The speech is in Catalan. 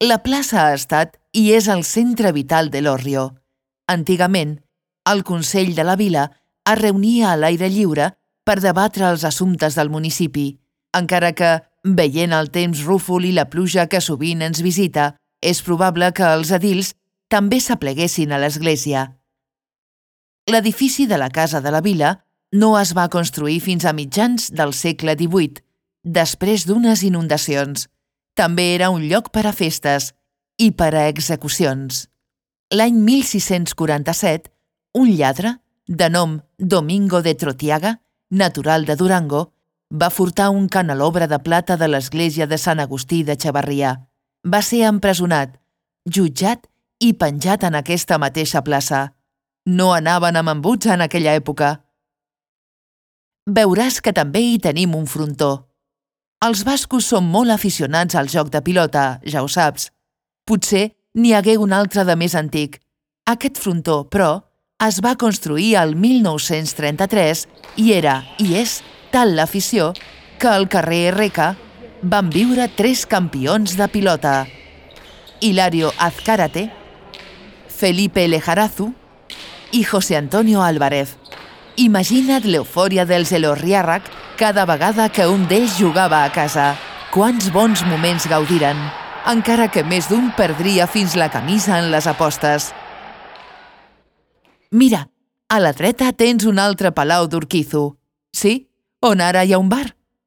La plaça ha estat i és el centre vital de l'Horrio. Antigament, el Consell de la Vila es reunia a l'aire lliure per debatre els assumptes del municipi, encara que, veient el temps rúfol i la pluja que sovint ens visita, és probable que els edils també s'apleguessin a l'església. L'edifici de la Casa de la Vila no es va construir fins a mitjans del segle XVIII, després d'unes inundacions. També era un lloc per a festes i per a execucions. L'any 1647, un lladre, de nom Domingo de Trotiaga, natural de Durango, va furtar un canelobre de plata de l'església de Sant Agustí de Chavarria. Va ser empresonat, jutjat i penjat en aquesta mateixa plaça. No anaven amb embuts en aquella època. Veuràs que també hi tenim un frontó. Els bascos són molt aficionats al joc de pilota, ja ho saps. Potser n'hi hagué un altre de més antic. Aquest frontó, però, es va construir el 1933 i era, i és, tal l'afició que al carrer Reca van viure 3 campions de pilota: Hilario Azcárate, Felipe Lejarazu i José Antonio Álvarez. Imagina't l'eufòria dels Elorriàrrec cada vegada que un d'ells jugava a casa. Quants bons moments gaudiren, encara que més d'un perdria fins la camisa en les apostes. Mira, a la dreta tens un altre palau d'Urquizu. Sí, on ara hi ha un bar.